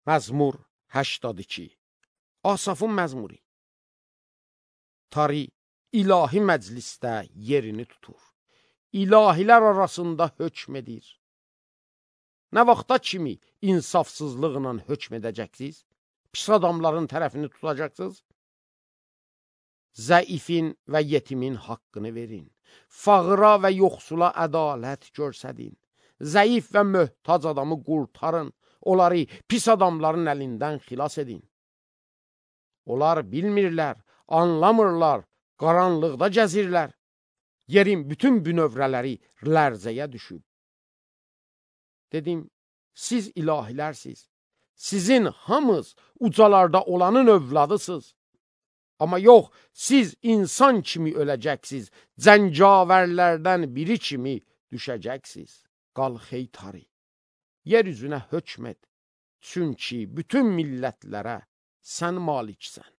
Məzmur 82. Asafın məzmuri. Tari ilahi məclisdə yerini tutur. İlahilər arasında hökm edir. Nə vaxta kimi insafsızlıqla hökm edəcəksiniz? Pis adamların tərəfini tutacaqsınız? Zəifin və yetimin haqqını verin. Fağıra və yoxsula ədalət görsədin. Zəif və möhtac adamı qurtarın. Onları pis adamların əlindən xilas edin. Onlar bilmirlər, anlamırlar, qaranlıqda gəzirlər. Yerin bütün bünövrələri lərzəyə düşüb. Dedim, siz ilahilərsiz. Sizin hamınız ucalarda olanın övladısınız. Amma yox, siz insan kimi öləcəksiniz. Cəngavərlərdən biri kimi düşəcəksiniz. Qalx ey Tari, yer üzünə hökm et. Çünki bütün millətlərə sən maliksən.